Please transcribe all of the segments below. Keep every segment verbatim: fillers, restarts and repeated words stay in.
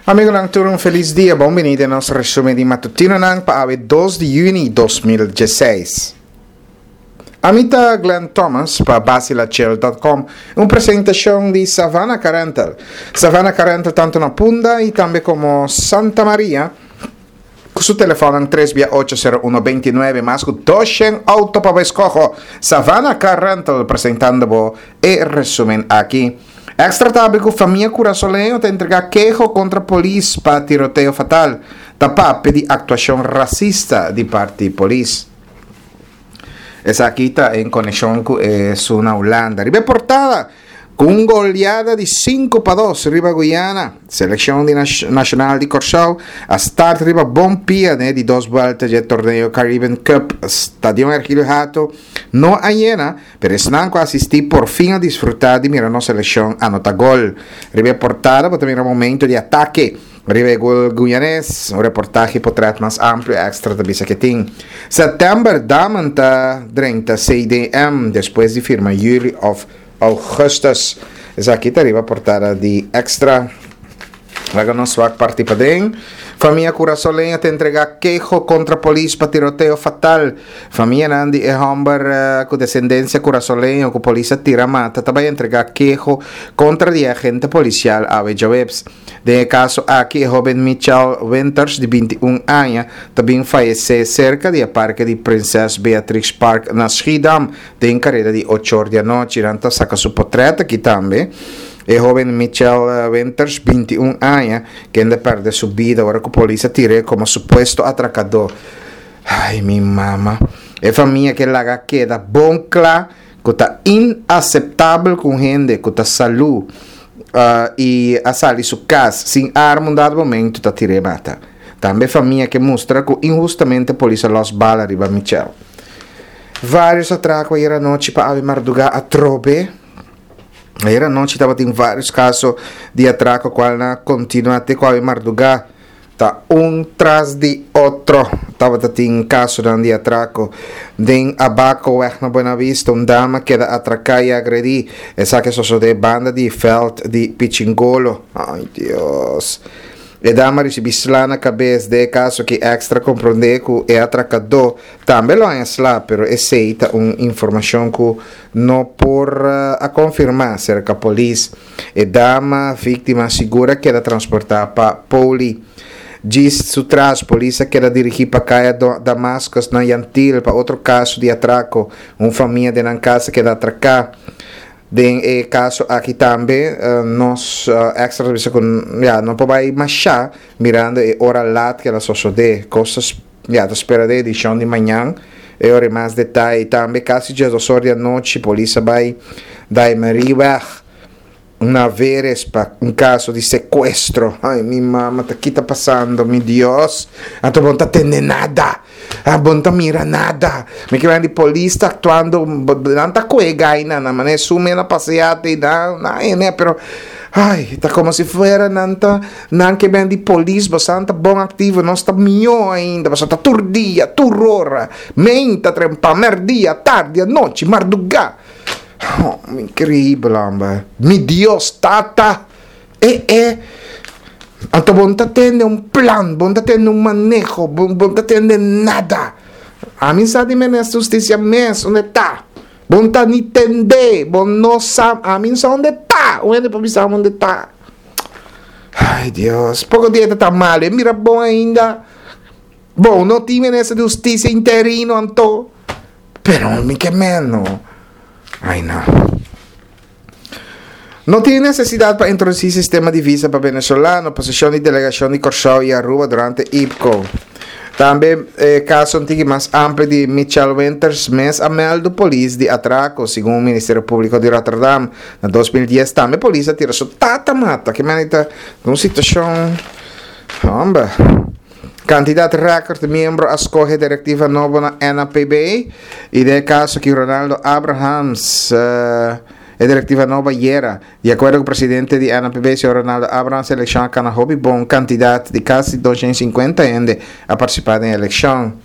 Amigonan, tur un felis dia. Bon bini den nos resumen di matutinonan pa awe dos di juni dos mil diesseis. Ami ta Glenn Thomas pa Basilachel dot com, un presentacion di Savannah Car Rental. Savannah Car Rental tanto na Punda y tambe como Santa Maria, cu su telefonnan tres bia ocho sero uno binti nuebe, mas cu doshen auto pa bo escoho. Savannah Car Rental presentando bo e resumen aki. Extra ta habri cu famia curasoleño ta entrega keho contra polis pa tiroteo fatal. Ta papia di actuacion racista di parti polis. Esaki ta en conexion cu e suna Hulanda. Riba e portada, cu un goleada di cinco pa dos riba Guyana, seleccion di nacional di Corsou a start riba bon pia ne di dos vuelta di torneo Caribbean Cup. Stadion Ergilio Hato no a llena, pero esnan cu asisti por fin a disfruta di mira nos seleccion anota gol. Riba portada, bo ta mira momento di atake. Riba gol guyanés, un reportaje portret mas amplio extra ta bisa que tin. September, Damen ta drenta C D M despues di firma juli of augustus. Esaki ta riba portada di Extra. Laga nos wak parti paden. Famia curasoleña te entrega quejo contra polis pa tiroteo fatal. Famia nandi e homber, eh, cu descendencia curasoleño cu polis tira mata tabay entrega quejo contra di agente policial awe Joebs. De caso aki e joven Michelle Winters de veintiún años también fallece cerca de parque de Princess Beatrix Park na Schiedam de en carrera de ocho de anoche. Ranta saca su portrait aquí también. E joven Michelle Winters, veintiún años, que anda perde su vida ahora que policía tire como supuesto atracador. Ay, mi mamá. E familia que la queda bon cla, que está inaceptable con gente, que está salud, uh, y a salir su casa sin arma un dado momento ta tire mata. También familia que muestra que injustamente policía los bala arriba Michelle. Varios atracos ayer anoche pa ave madruga a trobe. Ayer anoche estaba en varios casos de atraco cual na continua te cual madruga ta un tras de otro. Estaba en caso de atraco den Abaco weg na Buena Vista, un dama queda atracada y agredí. Esa que soso de banda de Feld de Pichingolo. Ay, Dios. E dama recibi sla na cabeça de caso que Extra comprende que é atracador. Também lo é sla, pero aceita uma informação que no por, uh, a confirmar cerca polis. E dama vítima segura que era transportada pa poli. Diz su tras, polícia que era dirigir pa caia do Damascus na Yantil pa outro caso de atraco. Un família de na casa que era atracar. Den e caso aqui também, uh, nos, uh, extra serviço com, ja, não pode ir mais chá, mirando e hora lat que ela só só de coisas, ja, da espera de edição de manhã, e hora mais detalhe também, casi já duas horas da noite, polícia vai da Mariweg, na Veres, pa um caso de sequestro. Ai, minha mama, tá aqui tá passando, meu Deus. A tu não tá tendo nada. A bom tá mira nada. Me que vem de polícia actuando, não tá coega aí, na mané sume na passeata e dá, na, né, pero ai, tá como se fuera nanta, nan que vem de polícia, você tá bom ativo, não está melhor ainda, você tá turdia, turrora, menta, trempa, merdia, tarde, noite, madrugada. Oh, increíble, hombre. Mi Dios, tata. Eh, eh. Anto bon ta tende un plan, bon ta tende un manejo, bon, bon ta tende nada. A mí sa di menes justicia mes, onde ta? Bon ta ni tende, bon no sa, a mí sa onde ta? Onde pa bisa onde ta? Ay, Dios, poco dia ta mal, eh, mira bon ainda. Bon, no ti menes justicia interino, anto. Pero mi que menos. Ay, no. No tiene necesidad para introducir sistema de visa para venezolano, posición de delegación de Corsao y Aruba durante I P C O. También, eh, caso antigo más amplio de Michelle Winters, mes a mel do polis de atraco, según el Ministerio Público de Rotterdam. En dos mil diez también policía tiró su tata mata. Que manita, una situación, hombre. Cantidad récord de miembro escoge directiva nueva na N A P B y de caso que Ronaldo Abrahams, eh, e directiva nova yera. De acuerdo con el presidente de N A P B, señor Ronaldo Abrahams, selección cana hobby bon cantidad de casi doscientos cincuenta ende a participar en elección.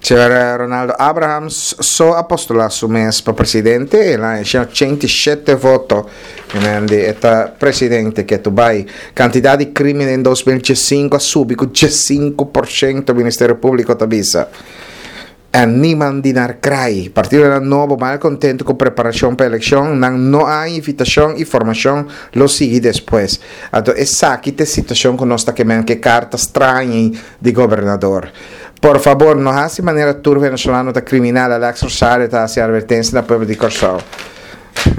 Señor Ronaldo Abrahams so a postula su mes pa presidente, el a haña ochenta i shete voto, e ta presidente ku tur bai. Kantidat di krímen den dos mil diesinku a subi ku diesinku porshento, Ministerio Públiko ta bisa. En niemand di naar krai. Partidonan nobo mal kontentu ku preparashon pa elekshon, nan no a invitashon i formashon lo sigui despues. Anto esaki ta e situashon ku nos ta ke men ke karta straño di gobernador. Por fabor, no hasi manera tur venezolano ta kriminal, Alex Rosario ta hasi advertensia na pueblo di Kòrsou.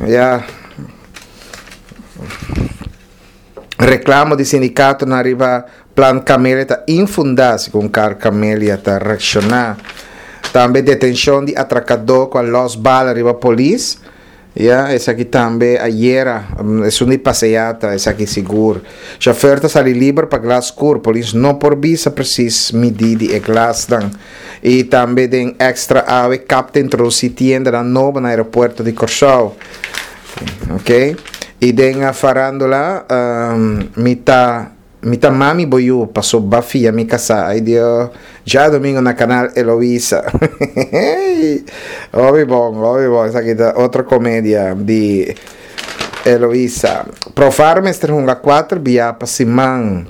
Ya. Reklamo di sindikatonan riba Plan Camelia ta infundá, segun Carl Camelia ta reakshoná. Tambe detenshon di atrakadó ku a lòs bala riba polis. Ya, esaki tambe ayera, esun di paseata, esaki sigur. Chauffeur ta sali liber pa glas skur, polis no por bisa presis midí di e glasnan. I tambe den Extra awe kap ta introdusí tiendanan nobo na aeropuerto di Kòrsou. Ok. I den farándula, mi ta Mi ta mami bo yu paso ba fia mi kasá ay Dios djadomingo na kanal Eloisa hopi bon hopi bon esaki ta otro komedia di Eloisa Profar mester hunga kuater bia pa siman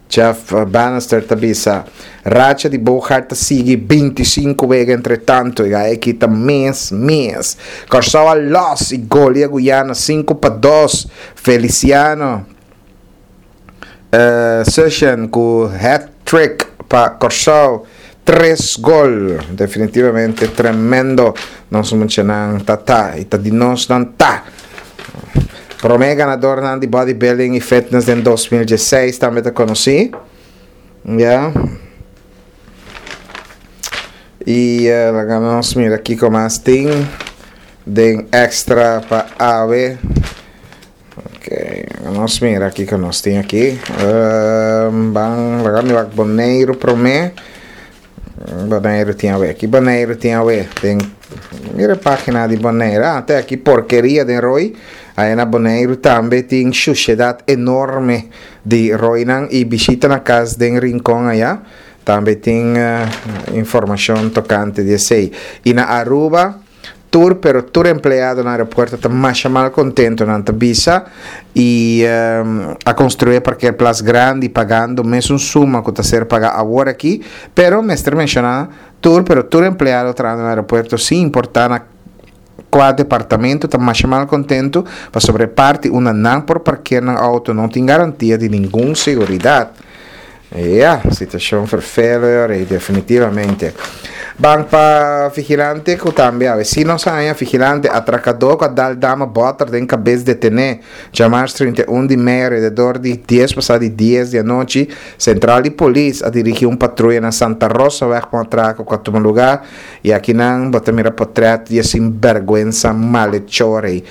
Jeff Bannister ta bisa racha di Boogaard ta sigui binti sinku wega entre tanto y aki ta mes mes Kòrsou a lòs y golia Guyana sinku pa dos Feliciano Session ku hat-trick pa Kòrsou, tres gol. Definitivamente tremendo. Nos muchanan ta ta i ta di nos nan ta. Promé ganadornan di bodybuilding i fitness den dos mil diesseis tambe ta konosí. Ya. I laga nos mira kiko mas tin den extra pa awe. Ok, nos mira kiko nos tin aki. Um, ban, laga mi wak Boneiru promé. Boneiru tin awe. Aki Boneiru tin awe. Den, mira página di Boneiru. Ah, te aki porkeria den roi. Ahí na Boneiru tambe tin suciedad enorme di roinan i bishita na kas den Rincon allá. Tambe tin uh, informashon tokante di esei. I na Aruba, Tur pero tur empleado na aeropuerto ta masha mal contento, nan ta bisa, y a construi e parkeerplaats grandi pagando mesun suma cu ta ser paga awor aki, pero mester menciona tur pero tur empleado trahando na aeropuerto sin importa na cua departamento ta masha mal contento pasobra e parti unda nan por parkeer nan auto no tin garantia di ningun seguridad. Ya, situacion vervelend y definitivamente. Ban pa vigilante cu tambe awe si nos haña vigilante atracador cu a dal dama boter den cabes detene djamars trinta i un di mei alrededor di dies pasa di dies di anochi central di polis a dirigi un patruya na Santa Rosaweg pa un atraco cu a tuma lugar y akinan bo ta mira potret di e sinberguensa malhechor ey.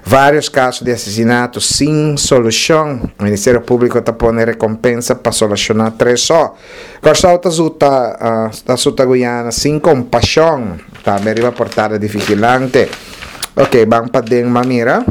Varios kaso di asesinato sin solushon. Ministerio Públiko ta pone rekompensa pa solushoná tres so. Kòrsou ta zuta ta suta Guyana sin kompashon. Tambe riba portada di Vigilante. Ok, ban paden ban mira.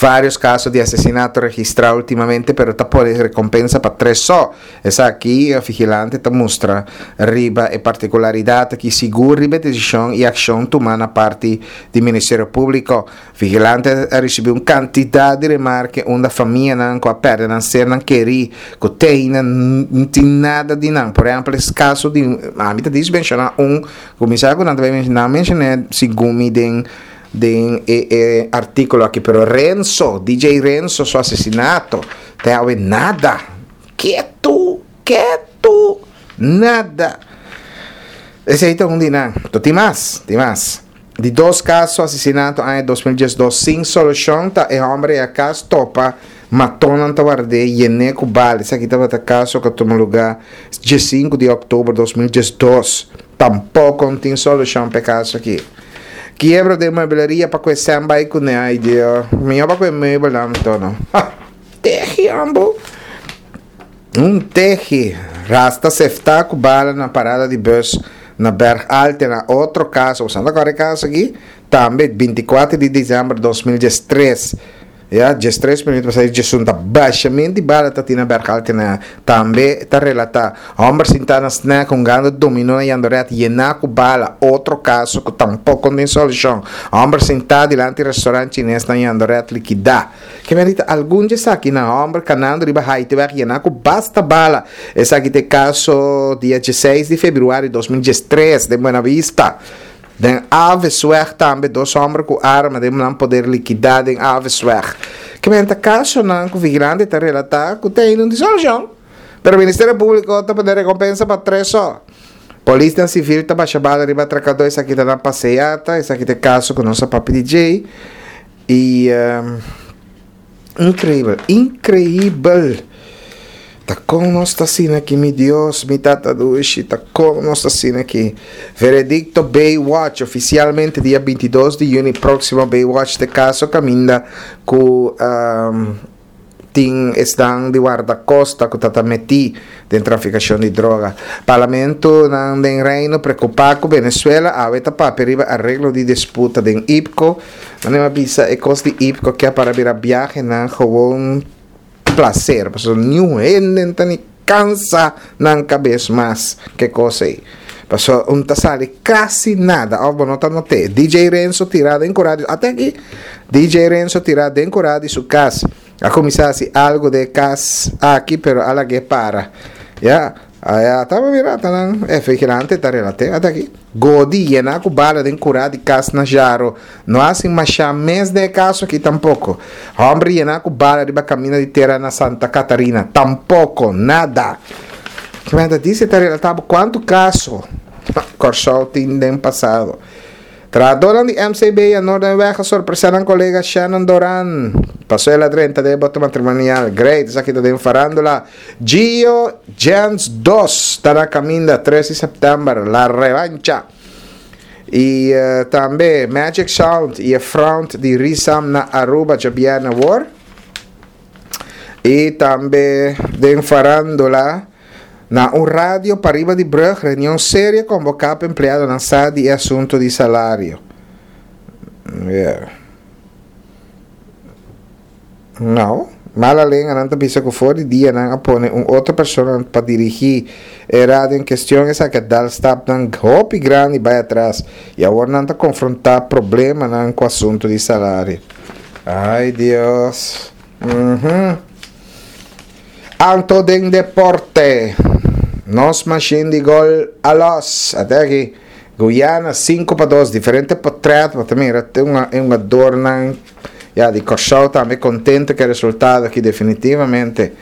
Varios kaso di asesinato registrá últimamente pero ta pone rekompensa pa tres so. Esaki Vigilante ta mustra riba e partikularidat aki sigur riba e desishon i akshon tumá na parti di Ministerio Públiko. Vigilante a risibí un kantidat di remarke unda famianan ku a pèrdè nan sernan kerí ku te ainda no tin nada di nan. Por ehèmpel es kaso di, ami ta dis menshoná un ku mi sa ku nan ta bai menshoná, nan menshoné segun mi den den e e artíkulo aki, pero Renzo, D J Renzo su asesinato te awe nada. Ketu, ketu, nada. Esei ta un di nan. To tin mas, tin mas. Di dos kaso asesinato aña dos mil diesdos sin solushon ta e hòmber ei a kas topa matonnan ta ward'é yené ku bala. Esaki tabata kaso ku a tuma lugá diesinku di òktober dos mil diesdos. Tampoko no tin solushon pa e kaso aki. Kiebro den muebleria pa ku e sèn bai kuné. Ai Dio, mihó pa ku e muebelnan anto no. Ha! Tehi ambo. Un tehi. Rasta seftá ku bala na parada di bus na Berg Alte na otro kaso, boso no ta kòrda e kaso aki? Tambe binti kuater di desèmber dos mil diestres. Ya, diestres minuut pa seis diesun ta bashamento di bala ta Tina Berghalter na tambe ta relata. Homber sinta na snack hungando domino na Jandoret yena ku bala, otro kaso ku tampoko no tin solushon. Homber sinta dilanti restaurant chines na Jandoret likida. Ke merita algun di esaki na homber kanando riba Haitiweg yena ku basta bala. Esaki ta e kaso dia diesseis di februari dos mil diestres den Buena Vista. Den Avesweg tambe dos homber ku arma den nan poder likidá den Avesweg. Ke men ta kasonan ku vigilante ta relatá ku ta ainda un tin solushon. Pero Ministerio Públiko ta pone rekompensa pa tres so. Polisnan sivil ta basha bala riba atrakadó, esaki ta na paseata, esaki ta e kaso ku nos a papia di dje. I inkreibel, inkreibel! Ta kon nos ta asina aki, mi Dios, mi Tata dushi, ta kon nos ta asina aki? Veredicto Baywatch, ofisialmente dia bintidos di yüni próksimo Baywatch ta e kaso kaminda ku tin esnan di wardakosta ku ta ta metí den trafikashon di droga. Parlamentonan den Reino preokupá ku Venezuela awe ta papia riba areglo di disputa den IPKO. Nan a bisa e kos di IPKO ke a para bira biahenan gewon placer, pasobra niun hende no ta ni cansa nan cabes mas ke cos ei. Pasobra un ta sali casi nada, of bo no ta noté. D J Renzo tira den cura di, ate aki, D J Renzo tira den cura di su cas. A cuminsa haci algo den e cas aki, pero a lag'é para. Ya, aya taba mira ata nan e vigilante ta relate ata aki. Godi yena ku bala den kurá di kas na Jaro. No hasi mashá mes den e kaso aki tampoko. Hòmber yena ku bala riba kaminda di tera na Santa Catarina. Tampoko. Nada. Kimen ta disi ta relatá bo kuantu kaso Kòrsou tin den pasado. Trahadónan di M C B a Noordenweg a sorpresá nan kolega Shannon Doran. Pasó el a drenta den e boto matrimonial. Great, esaki ta den farándula. Gio Jens dos ta na kaminda tres di sèptèmber, La Revancha. I tambe Magic Sound i e front di Risam na Aruba djabièrnè awor. I tambe den farándula. Na un radio pariba di brug, reunion serio convoca pa empleadonan sa di e asunto di salario. Yeah. No, mala lenga nan ta bisa cu for di dia nan a pone un otro persona pa dirigi e radio en cuestion, esaki a dal stapnan hopi grandi bay atras y awor nan ta confronta problemanan cu asunto di salario. Ay Dios. Mhm. Anto den deporte, nos machine di gol a los. Ate aki, Guyana sinku pa dos, diferente potret, bo ta mira te un e hungadornan ya di Kòrsou tambe kontento ku e resultado aki definitivamente.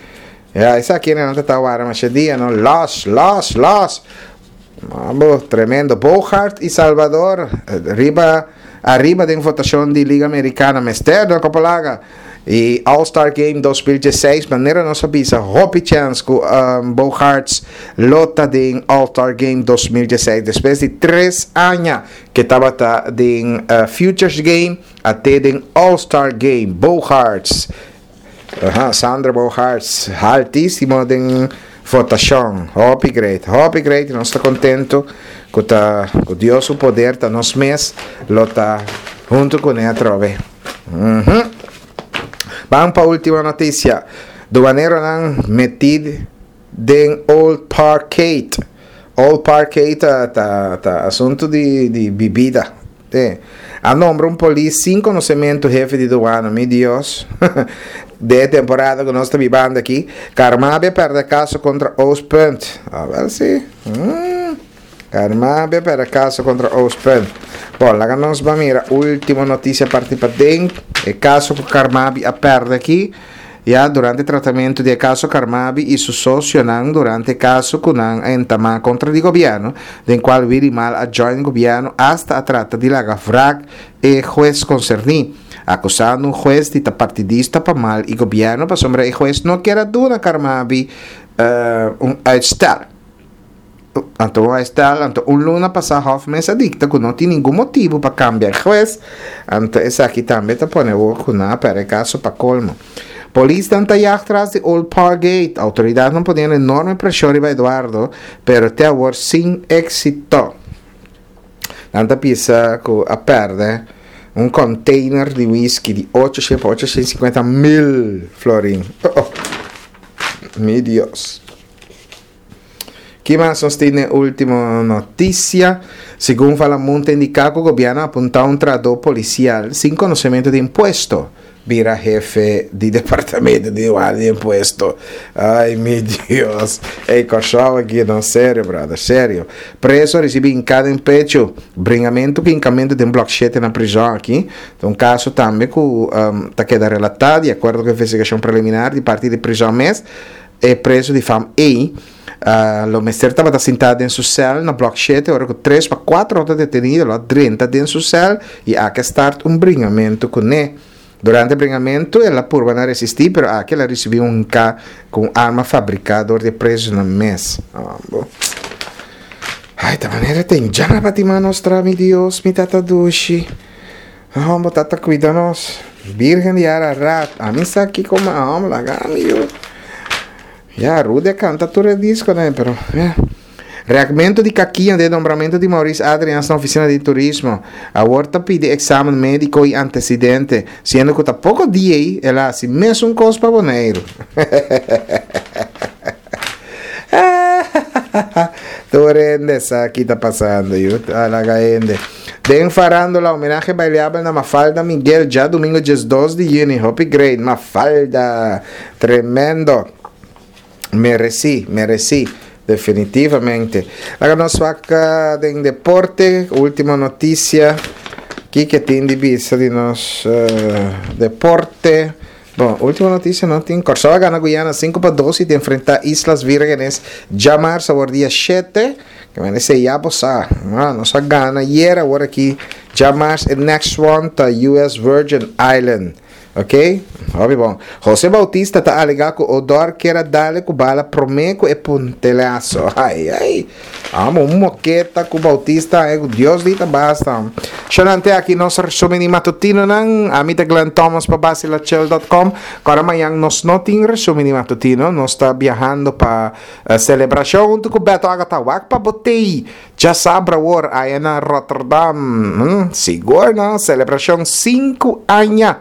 Ya, esaki nan ta ta wara masha dia, no? Los, los, los! Mambo, tremendo. Bogaerts y Salvador riba ariba den votacion di Liga Americana mester no Copolaga. Y All Star Game dos mil diesseis, manera nos a bisa, hopi chance cu um, Bogaerts lo ta den All Star Game dos mil diesseis despues di tres aña que tabata den uh, Futures Game a te den All Star Game. Bogaerts. Aha, Xander Bogaerts, altísimo den votacion. Hopi great, hopi great. Nos ta contento cu ta cu Dios su poder ta nos mes lo ta hunto cu ne atrobe. Mm -hmm. Ban pa ultima noticia. Duaneronan metí den Old Parkade. Old Parkade ta, ta, ta asunto di, di bebida. Eh. A nombra un polis sin conocimento hefe di douane, mi Dios. De temporada cu nos ta bibando aki. Carmabi a perde caso contra Oostpunt. A ver si. Mm. Carmabi a perde caso contra Oostpunt. Bon, laga nos ban mira ultimo noticia parti paden. E caso cu Carmabi a perde aki. Ya durante tratamento di e caso Carmabi y su socionan durante caso cu nan a entama contra di gobierno, den cual Willy Mal a join gobierno, hasta a trata di laga wrak e huez concerni, acusando un huez di ta partidista pa Mal y gobierno pasobra e huez no kier a duna Carmabi uh, un uitstel. Anto un uitstel, anto un luna pasa Hof mes a dicta cu no tin ningun motibo pa cambia huez, anto esaki tambe ta pone cu nan a perde caso pa colmo. Polisnan ta jaag tras di Old Parkgate. Autoridadnan poniendo enorme presion riba Eduardo, pero te awor sin exito. Nan ta bisa cu a perde. Un container di whisky di ocho pa ochocientocincuenta mil florin. Oh, oh. Mi Dios. Ki mas nos tin ultimo noticia? Segun Falamun ta indica cu gobierno a apunta un trahador policial sin conocimento di impuesto bira hefe di departamento di di impuesto. Ay, mi Dios. Ey, Kòrsou aki, no, serio, brother, serio. Preso recibi hincada den pecho. Bringamento cu hincamento den blok shete na prison aki. Un caso tambe cu um, ta keda relata di acuerdo cu e investigacion preliminar di parti di prison mes. E preso di fam E. Uh, lo mester tabata sinta den su cel na blok shete, ora cu tres pa cuater otro detenido a drenta den su cel y a start un bringamento cu ne. Durante e bringamento, el a purba na resisti, pero aki el a recibi un K cu arma fabrica door di preso nan mes. Ah, bon. Ay, ta manera tin ya pa nostra, mi Dios, mi tata dushi. Oh, tata cuida nos. Virgen di Ararat. Ami sa aki como amo, laga mi. Ya, Rudy canta tur disco, ne? Pero, yeah. Reakmento di kakia den nombramento di Maurice Adrians na oficina di turismo. Awor ta pidi examen medico y antecedente, siendo cu ta poco dia el a haci mesun cos pa Boneiro. Tur hende sa kico ta pasando, yu. Laga hende. Den farándula, homenahe bailable na Mafalda Miguel, diadomingo diesdos di juni. Hopi great, Mafalda. Tremendo. Mereci, mereci. Definitivamente. Awor nos bay den deporte, ultimo noticia. Kico tin di bista di nos uh, deporte? Bon, ultimo noticia no tin. Kòrsou a gana Guyana sinku pa dos y ta enfrenta Islas Vírgenes djamars dia shete. Cu merece ya pasa. Ah, nos a gana ayera, awor aki djamars e next one ta U S Virgin Island. Ok? Hopi bon. José Bautista ta alega cu Odor kier a dal e cu bala prome cu e puntelazo. Ai, ai. Amo un moketa cu Bautista, eh, Dios dita basta. Shonante aki nos resumen di matutino nan. Ami ta Glenn Thomas pa basilachel punto com. Awor mañan nos no tin resumen di matutino. Nos ta biahando pa uh, celebracion hunto cu Beto Agata wak pa botei. Djasabra awor aya na Rotterdam. Hmm, sigur no? Celebracion sinku aña.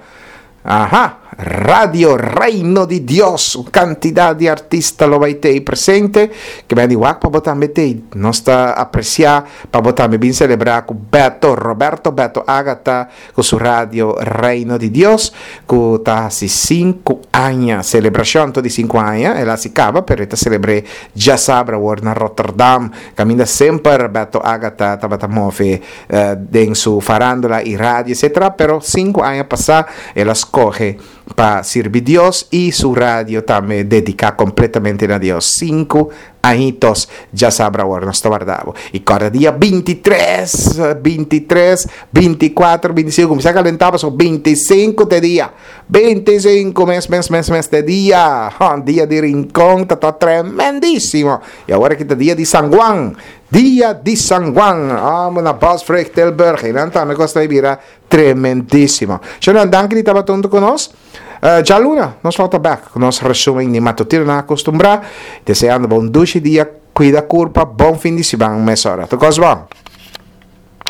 Aha, Radio Reino di Dios, un cantidad di artista lo bay ta presente, cu bin di wak pa bo tambe t'ey. Nos ta aprecia pa bo tambe bin celebra cu Beto, Roberto Beto Agata, cu su Radio Reino di Dios, cu ta haci sinku aña, celebracion di sinku aña, el a caba, pero ta celebr'e djasabra na Rotterdam, caminda semper Beto Agata tabata move uh, den su farandula y radio, et cetera. Pero sinku aña pasa, el a scoge pa sirbi Dios y su radio tambe dedica completamente na Dios. Cinco añitos djasabra nos ta warda bo. Y cada dia bintitres, bintitres, binticuater, binticinco, cuminsa calenta, paso binticinco di dia. binticinco mes, mes, mes, mes di dia. Oh, dia di Rincon, ta, ta tremendisimo. Y awor aki ta dia di San Juan. Dia di San Juan. Amo na Bosvrijk Tilburg. Y nan tambe ta bira tremendisimo. Señor, danki di tabata hunto cu nos. Uh, djaluna, nos ta back cu nos resumen di matutino nan acostumbra. Deseando bon dushi dia, cuida curpa, bon fin di siman, mesora. Tur bon.